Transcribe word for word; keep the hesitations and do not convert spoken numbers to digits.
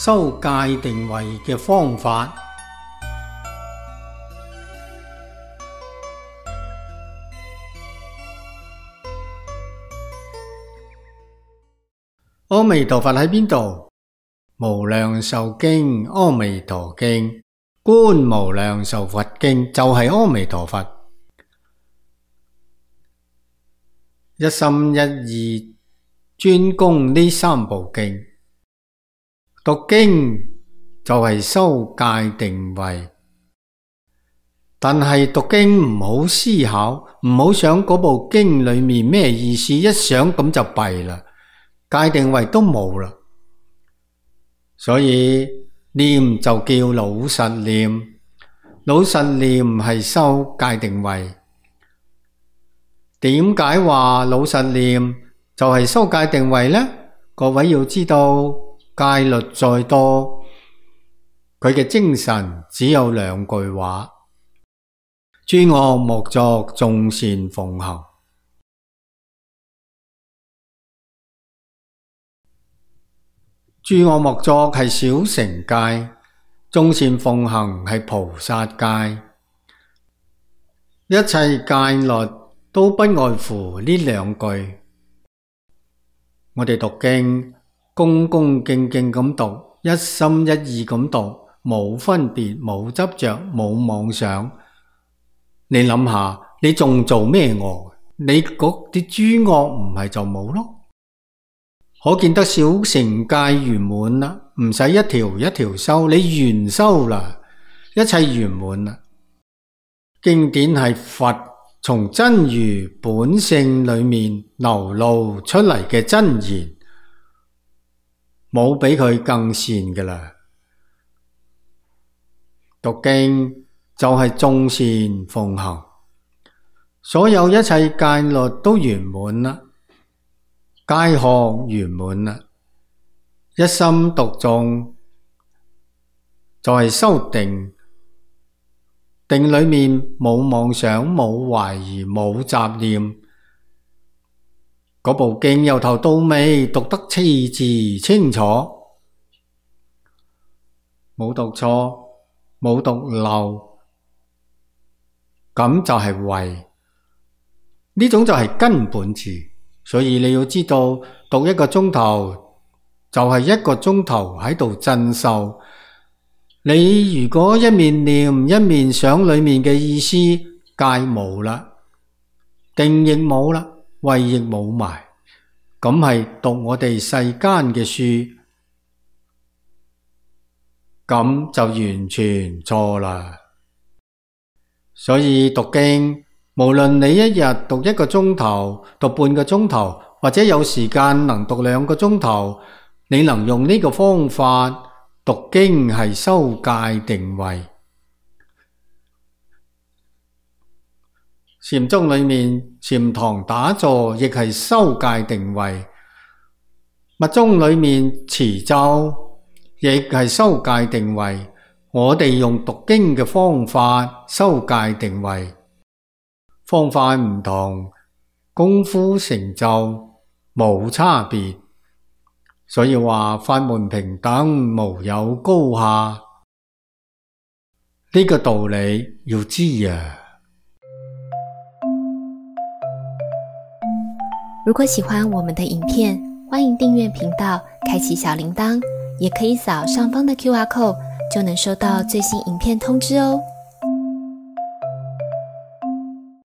修戒定慧嘅方法。阿彌陀佛喺邊度？無量壽經、阿彌陀經、觀無量壽佛經就係阿彌陀佛。一心一意專攻呢三部經，讀經就係修戒定慧。但係讀經唔好思考，唔好想嗰部經裏面咩意思，一想咁就弊啦，戒定慧都冇啦。所以念就叫老實念，老實念係修戒定慧。點解話老實念就係修戒定慧呢？各位要知道，戒律再多，佢嘅精神只有兩句話：諸惡莫作，眾善奉行。諸惡莫作係小乘戒，眾善奉行係菩薩戒。一切戒律都不外乎呢兩句。我哋讀經，恭恭敬敬咁讀，一心一意咁讀，冇分別，冇執着，冇妄想。你諗下，你仲做咩惡？你嗰啲諸惡唔係就冇咯？可見得小乘戒圓滿啦，唔使一條一條修，你圓修啦，一切圓滿啦。經典係佛從真如本性裏面流露出嚟嘅真言，冇比佢更善㗎啦。讀經就係眾善奉行，所有一切戒律都圓滿啦。戒學圓滿啦，一心讀誦就係修定，定裏面冇妄想，冇懷疑，冇雜念。嗰部經由頭到尾讀得次字清楚，冇讀錯，冇讀漏，咁就係慧，呢種就係根本智。所以你要知道，讀一個鐘頭就係一個鐘頭喺度真修。你如果一面念一面想裏面嘅意思，戒冇啦，定亦冇啦，慧亦冇埋，咁係讀我哋世間嘅書，咁就完全錯啦。所以讀經，無論你一日讀一個鐘頭，讀半個鐘頭，或者有時間能讀兩個鐘頭，你能用呢個方法讀經係修戒定慧。禪宗裏面禪堂打坐亦係修戒定慧，密宗裏面持咒亦係修戒定慧。我哋用讀經嘅方法修戒定慧。方法唔同，功夫成就冇差別，所以話法門平等，無有高下。呢個道理要知啊！如果喜歡我們的影片，歡迎訂閱頻道，開啟小鈴鐺，也可以掃上方的 Q R code，就能收到最新影片通知哦。